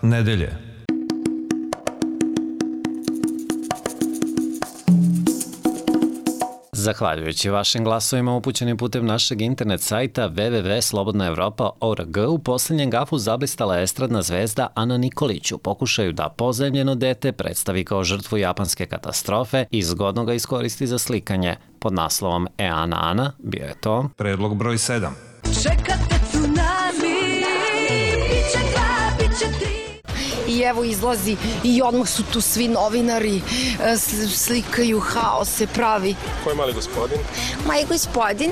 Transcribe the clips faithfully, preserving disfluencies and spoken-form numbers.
nedelje. Zahvaljujući vašim glasovima upućenim putem našeg internet sajta w w w tačka slobodna evropa tačka org, u posljednjem gafu zablistala estradna zvezda Ana Nikolić u pokušaju da pozajmljeno dete predstavi kao žrtvu japanske katastrofe i zgodno ga iskoristi za slikanje. Pod naslovom E Ana Ana bio je to Predlog broj sedam. Čekate tsunami, biće dva, biće tri. I evo izlazi i odmah su tu svi novinari, slikaju, haos se pravi. Ko je mali gospodin? Mali gospodin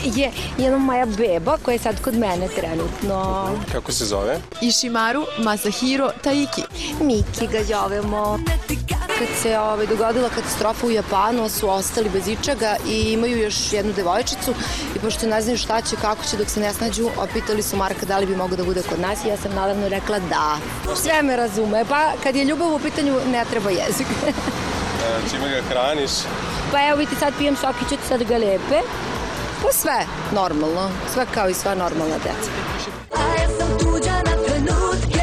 je jedna moja beba koja je sad kod mene trenutno. Kako se zove? Ishimaru Masahiro Taiki. Miki ga zovemo. Kad se ovaj, dogodila katastrofa u Japanu, su ostali bez ičega i imaju još jednu devojčicu i pošto ne znaju šta će, kako će dok se ne snađu, opitali su Marka da li bi mogao da bude kod nas i ja sam naravno rekla da. Sve me razume, pa kad je ljubav u pitanju ne treba jezik. E, čime ga hraniš? Pa evo vidite, sad pijem sokić od sad ga lepe. Pa sve normalno, sve kao i sva normalna deca. A ja sam tuđa na trenutke.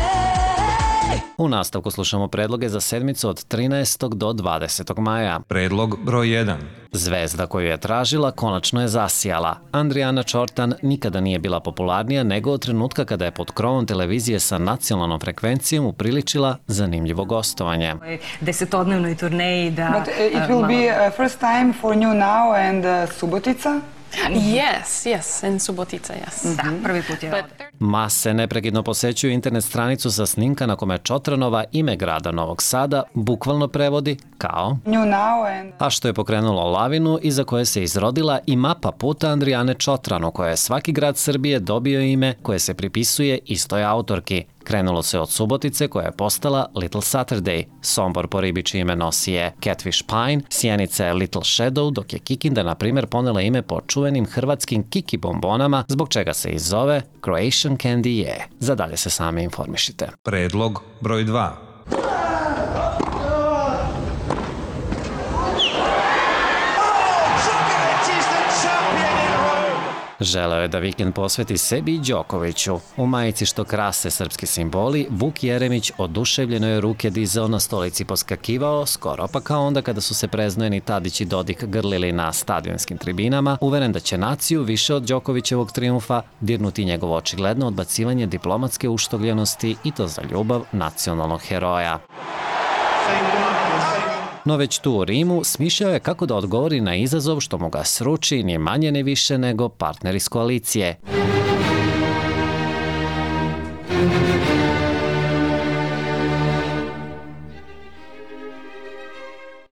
U nastavku slušamo predloge za sedmicu od trinaestog do dvadesetog maja. Predlog broj jedan. Zvezda koju je tražila konačno je zasijala. Andrijana Čortan nikada nije bila popularnija nego od trenutka kada je pod krovom televizije sa nacionalnom frekvencijom upriličila zanimljivo gostovanje. Desetodnevnoj turneji da... But uh, it will be uh, first time for New Now and uh, Subotica? Yes, yes, in Subotica, yes. Da, prvi put je ovde. Mase neprekidno posećuju internet stranicu sa snimka na kome Čotranova ime grada Novog Sada bukvalno prevodi kao New Now and... a što je pokrenulo lavinu iza koje se izrodila i mapa puta Andrijane Čotran u kojoj je svaki grad Srbije dobio ime koje se pripisuje istoj autorki. Krenulo se od Subotice koja je postala Little Saturday, Sombor po ribi čije ime nosi je Catfish Pine, Sjenica je Little Shadow, dok je Kikinda na primjer ponela ime po čuvenim hrvatskim Kiki bombonama, zbog čega se i zove Croatian Candy je. Za dalje se sami informišite. Predlog broj dva. Želeo je da vikend posveti sebi i Đokoviću. U majici što krase srpski simboli, Vuk Jeremić oduševljeno je ruke dizao na stolici poskakivao, skoro pa kao onda kada su se preznojeni Tadić i Dodik grlili na stadionskim tribinama, uveren da će naciju više od Đokovićevog trijumfa dirnuti njegovo očigledno odbacivanje diplomatske uštogljenosti i to za ljubav nacionalnog heroja. No već tu u Rimu smišljao je kako da odgovori na izazov što mu ga sruči ni manje ni više nego partner iz koalicije.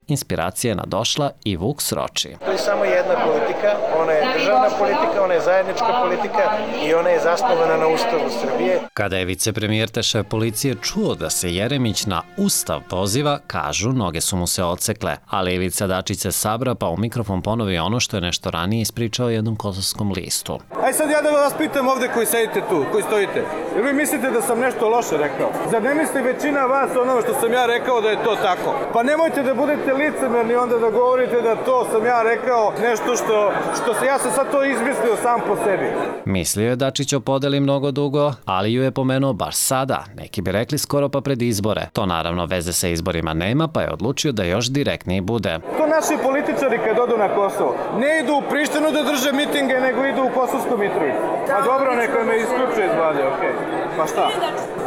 Inspiracija je nadošla i Vuk sroči. To je samo jedna politika, ona je državna politika, ona je zajednička politika i ona je zasnovana na Ustavu Srbije. Kada je vicepremijer te šef policije čuo da se Jeremić na Ustav poziva, kažu, noge su mu se odsekle, ali Ivica Dačić se sabra pa u mikrofon ponovi ono što je nešto ranije ispričao jednom kosovskom listu. Aj sad ja da vas pitam ovde koji sedite tu, koji stojite, jer vi mislite da sam nešto loše rekao? Zar ne misli većina vas ono što sam ja rekao da je to tako? Pa nemojte da budete licemerni onda da govorite da to sam ja rekao nešto što, što se, ja sam sad to izmislio sam po sebi. Mislio je Dačić o podeli mnogo dugo, ali ju je pomenuo baš sada, neki bi rekli skoro pa pred izbore. To naravno veze sa izborima nema, pa je odlučio da još direktniji bude. To naši političari kad odu na Kosovo, ne idu u Prištinu da drže mitinge, nego idu u Kosovsku Mitrovicu. Pa dobro, neko me isključuje iz vlade, okej. Okay. Pa šta?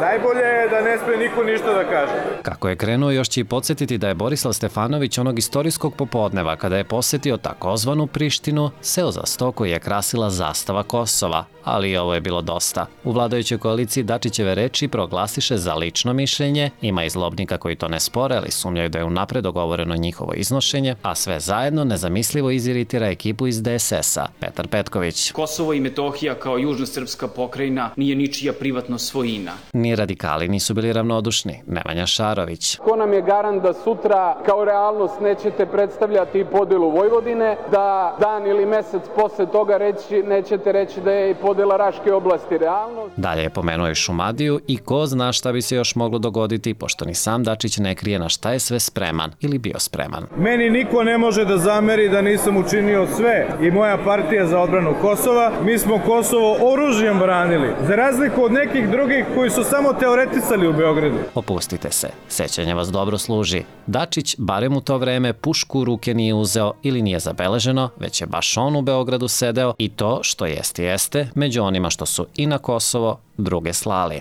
Najbolje je da ne sme niko ništa da kaže. Kako je krenuo, još će i podsjetiti da je Borislav Stefanović onog istorijskog popodneva kada je posetio takozvanu Prištinu, seo za sto koji je krasila zastava Kosova. Ali i ovo je bilo dosta. U vladajućoj koaliciji Dačićeve reči proglasiše za lično mišljenje, ima i zlobnika koji to ne spore, ali sumnjaju da je unapred dogovoreno njihovo iznošenje, a sve zajedno nezamislivo iziritira ekipu iz D S S-a, Petar Petković. Kosovo i Metohija kao južno-srpska pokrajina nije ničija privatno svojina. Ni radikali nisu bili ravnodušni, Nemanja Šarović. Ko nam je garant da sutra kao real realnost nećete predstavljati podelu Vojvodine, da dan ili mesec posle toga reći, nećete reći da je i podela Raške oblasti realnost. Dalje je pomenuo i Šumadiju i ko zna šta bi se još moglo dogoditi, pošto ni sam Dačić ne krije na šta je sve spreman ili bio spreman. Meni niko ne može da zameri da nisam učinio sve i moja partija za odbranu Kosova. Mi smo Kosovo oružjem branili, za razliku od nekih drugih koji su samo teoretisali u Beogradu. Opustite se, sećanje vas dobro služi. Dačić, barem u to vreme, pušku u ruke nije uzeo ili nije zabeleženo, već je baš on u Beogradu sedeo i to, što jeste jeste, među onima što su i na Kosovo druge slali.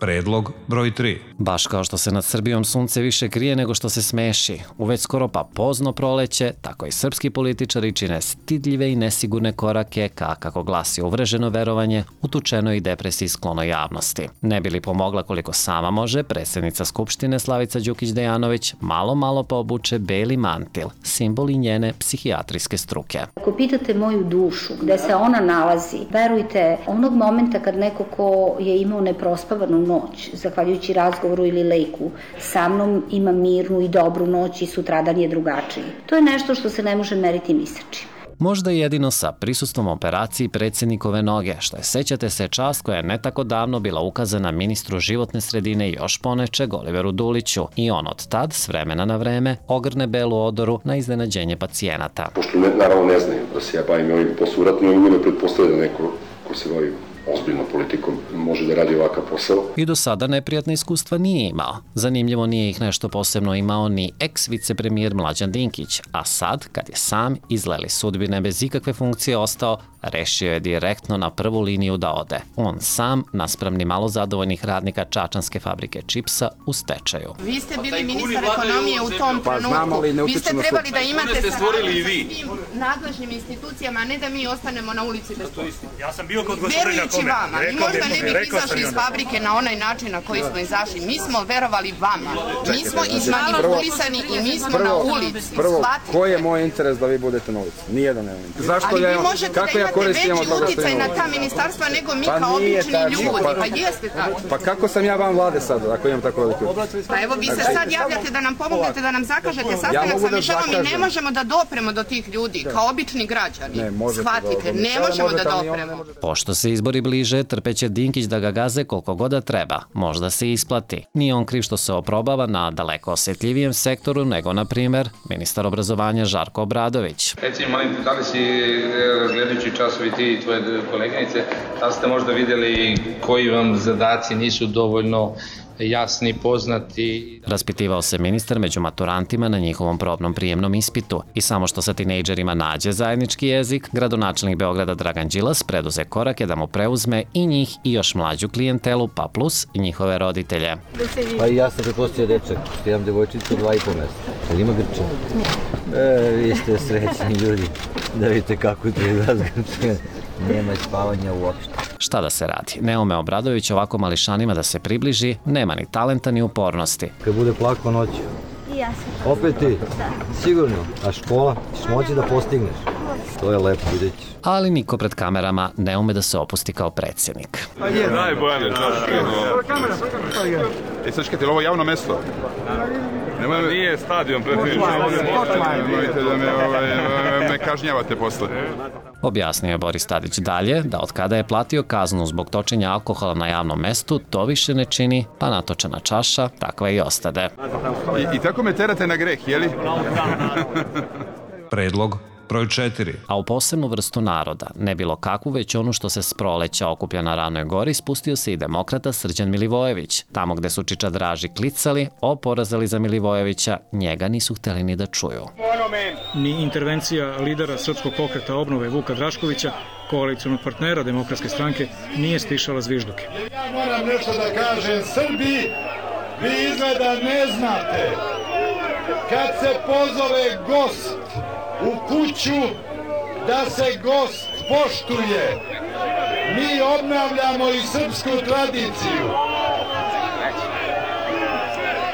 Predlog broj tri. Baš kao što se nad Srbijom sunce više krije nego što se smeši, u već skoro pa pozno proleće, tako i srpski političari čine stidljive i nesigurne korake ka, kako glasi uvreženo verovanje, utučenoj i depresiji sklonoj javnosti. Ne bi li pomogla koliko sama može, predsjednica Skupštine Slavica Đukić-Dejanović malo malo pa obuče beli mantil, simbol i njene psihijatrijske struke. Ako pitate moju dušu, gde se ona nalazi, verujte, onog momenta kad neko ko je imao neprospavanu noć, zahvaljujući razgovoru ili lejku, sa mnom ima mirnu i dobru noć i sutradan je drugačiji. To je nešto što se ne može meriti ni sa čim. Možda jedino sa prisustvom operaciji predsjednikove noge, što je, sećate se, čast koja je ne tako davno bila ukazana ministru životne sredine i još ponečeg Oliveru Duliću i on od tad, s vremena na vreme, ogrne belu odoru na iznenađenje pacijenata. Pošto ne, naravno ne znaju da se ja bavim ovim posluratno, i ne pretpostavlja da neko ko se bavi ozbiljnom politikom može da radi ovakav posao. I do sada neprijatne iskustva nije imao. Zanimljivo, nije ih nešto posebno imao ni ex-vicepremijer Mlađan Dinkić, a sad, kad je sam izleli sudbine bez ikakve funkcije ostao, rešio je direktno na prvu liniju da ode. On sam, naspram ni malo zadovoljnih radnika čačanske fabrike čipsa u stečaju. Vi ste bili ministar ekonomije u tom trenutku. Vi ste trebali da imate saradnju sa svim nadležnim institucijama, a ne da mi ostanemo na ulici bez posla. Ja sam bio kod gospodina Verujući vama, mi možda ne bi izašli iz fabrike na onaj način na koji smo izašli. Mi smo verovali vama. Mi smo izmanipulisani i mi smo na ulici. Prvo, koji je moj interes da vi budete na ulici? Nijedan ne vidim. Zašto ja, kako ja koristim od toga što uticaj na ta ministarstva nego mi kao obični ljudi. Pa jeste tako. Pa kako sam ja van vlade sad, ako imam tako veliki uticaj? Pa evo, vi se sad javljate da nam pomognete, da nam zakažete sastanak sa Mišelom i ne možemo da dopremo do tih ljudi, kao obični građani. Shvatite, ne možemo da dopremo. Pošto se izbori bliže, trpeće Dinkić da ga gaze koliko god da treba. Možda se isplati. Nije on kriv što se oprobava na daleko osjetljivijem sektoru nego, na primer, ministar obrazovanja Žarko Obradović. Reci, molim te, da li si, gledajući časovi ti i tvoje koleginice, da li ste možda vidjeli koji vam zadaci nisu dovoljno jasni, poznati? Raspitivao se ministar među maturantima na njihovom probnom prijemnom ispitu i samo što sa tinejdžerima nađe zajednički jezik, gradonačelnik Beograda Dragan Đilas preduze korake da mu preuzme i njih i još mlađu klijentelu, pa plus i njihove roditelje. Pa i ja sam pretpostavio dečak, što imam devojčicu dva i po mjeseca. Ali ima grče? E, vi ste srećni ljudi, da vidite kako je to izrazgrče. Nema spavanja uopšte. Šta da se radi? Neome Obradović ovako mališanima da se približi, nema ni talenta ni upornosti. Kad bude plako noću. I ja sam. Opet ti? Da. Sigurno. A škola? Ćeš moći da postigneš? To je lepo, vidjet ćeš. Ali niko pred kamerama ne ume da se opusti kao predsjednik. Daj, Bojane, čaške. E, sad čekajte, ovo je javno mesto? Nije stadion, predsjedniče. Nemojte da me kažnjavate posle. Objasnio je Boris Tadić dalje da od kada je platio kaznu zbog točenja alkohola na javnom mestu, to više ne čini, pa natočena čaša takva i ostade. I, i tako me terate na greh, jeli? Predlog broj četiri. A u posebnu vrstu naroda, ne bilo kakvu, već onu što se s proleća okuplja na Ranoj gori, spustio se i demokrata Srđan Milivojević. Tamo gde su čičadraži klicali, oporazali za Milivojevića, njega nisu hteli ni da čuju. Ni intervencija lidera Srpskog pokreta obnove Vuka Draškovića, koalicionog partnera Demokratske stranke, nije stišala zvižduke. Ja moram nešto da kažem Srbiji, vi izgleda ne znate, kad se pozove gost u kuću, da se gost poštuje. Mi obnavljamo i srpsku tradiciju.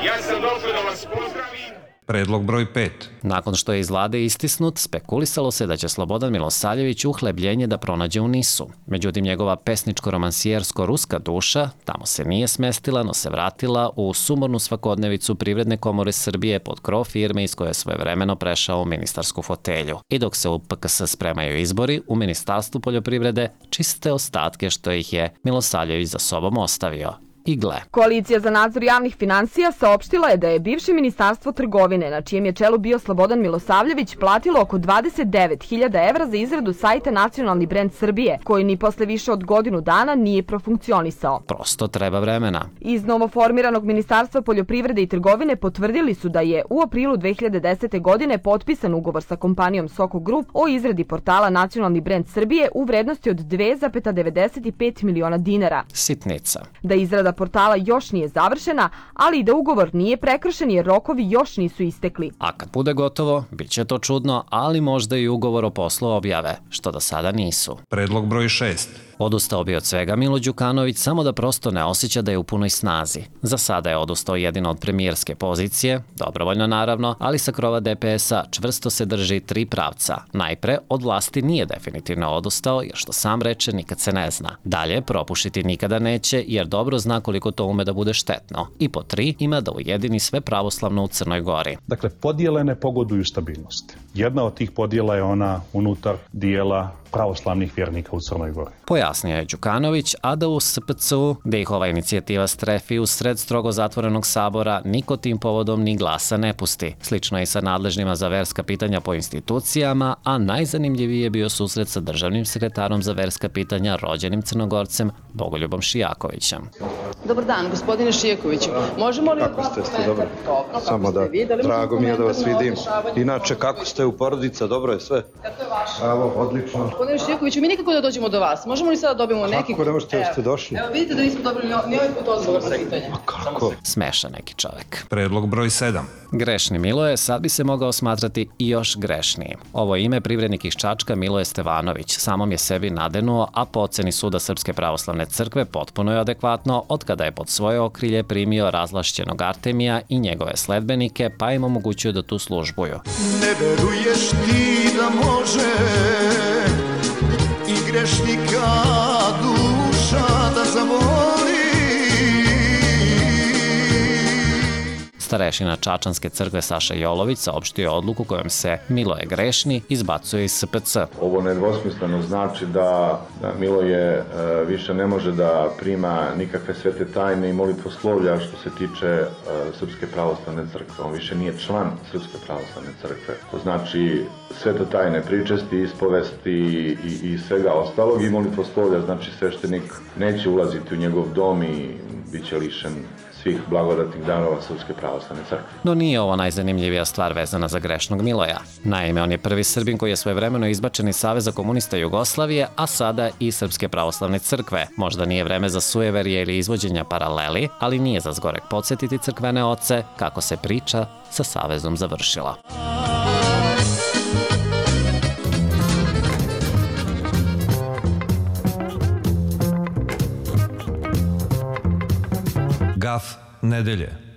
Ja sam došao da vas pozdravim. Predlog broj pet. Nakon što je iz vlade istisnut, spekulisalo se da će Slobodan Milosavljević uhlebljenje da pronađe u Nisu. Međutim, njegova pesničko-romansijersko-ruska duša tamo se nije smestila, no se vratila u sumornu svakodnevicu Privredne komore Srbije pod krov firme iz koje je svojevremeno prešao u ministarsku fotelju. I dok se u P K S spremaju izbori, u Ministarstvu poljoprivrede čiste ostatke što ih je Milosavljević za sobom ostavio. Igle. Koalicija za nadzor javnih finansija saopštila je da je bivše ministarstvo trgovine, na čijem je čelu bio Slobodan Milosavljević, platilo oko dvadeset devet hiljada evra za izradu sajta Nacionalni brend Srbije, koji ni posle više od godinu dana nije profunkcionisao. Prosto treba vremena. Iz novoformiranog Ministarstva poljoprivrede i trgovine potvrdili su da je u aprilu dve hiljade desete. godine potpisan ugovor sa kompanijom Soko Group o izradi portala Nacionalni brend Srbije u vrednosti od dve zarez devedeset pet miliona dinara. Sitnica. Da izrada portala još nije završena, ali i da ugovor nije prekršen jer rokovi još nisu istekli. A kad bude gotovo, bit će to čudno, ali možda i ugovor o poslu objave, što do sada nisu. Predlog broj šest. Odustao bi od svega Milo Đukanović samo da prosto ne osjeća da je u punoj snazi. Za sada je odustao jedino od premijerske pozicije, dobrovoljno naravno, ali sa krova D P S-a čvrsto se drži tri pravca. Najpre, od vlasti nije definitivno odustao, jer što sam reče nikad se ne zna. Dalje, propušiti nikada neće, jer dobro zna koliko to ume da bude štetno. I po tri, ima da ujedini sve pravoslavno u Crnoj Gori. Dakle, podjele ne pogoduju stabilnosti. Jedna od tih podjela je ona unutar dijela pravoslavnih vjernika u Crnoj Gori. Pojasnio je Đukanović, a da u S P C U, gde ih ova inicijativa strefi u sred strogo zatvorenog sabora, niko tim povodom ni glasa ne pusti. Slično je i sa nadležnima za verska pitanja po institucijama, a najzanimljiviji je bio susret sa državnim sekretarom za verska pitanja, rođenim Crnogorcem Bogoljubom Šijakovićem. Dobar dan, gospodine Šijakoviću. Možemo li... Kako ste, ste dobro? Samo da, drago mi je da vas vidim. Inače, kako ste u porodica, dobro je sve? Kako je vaše? Evo, odlično. Gospodine Šijakoviću, mi nikako da dođemo do vas. Možemo li sada dobijemo neki... Kako ne možete da ste došli? Evo, vidite da nismo dobili ni ovaj put odgovor na pitanje. Kako? Smeša neki čovek. Predlog broj sedam. Grešni Miloje sad bi se mogao smatrati i još grešnijim. Ovo ime privrednik iz Čačka Miloje Stevanović samom je sebi nadenuo, a po oceni Suda Srpske pravoslavne crkve potpuno je adekvatno od kada je pod svoje okrilje primio razlašćenog Artemija i njegove sledbenike, pa im omogućio da tu službuju. Ne veruješ ti da može i grešnika duša da zavoli. Starešina Čačanske crkve Saša Jolović saopštio je odluku kojom se Miloje grešni izbacuje iz S P C. Ovo nedvosmisleno znači da, da Miloje e, više ne može da prima nikakve svete tajne i molitvoslovlja što se tiče e, Srpske pravoslavne crkve. On više nije član Srpske pravoslavne crkve. To znači svete tajne pričesti, ispovesti i, i svega ostalog i molitvoslovlja. Znači sveštenik neće ulaziti u njegov dom i bit će lišen svih blagodatnih darova Srpske pravoslavne crkve. No nije ovo najzanimljivija stvar vezana za grešnog Miloja. Naime, on je prvi Srbin koji je svojevremeno izbačen iz Saveza komunista Jugoslavije, a sada i Srpske pravoslavne crkve. Možda nije vreme za sujeverje ili izvođenja paraleli, ali nije za zgorek podsjetiti crkvene oce kako se priča sa Savezom završila. Gaf nedelje.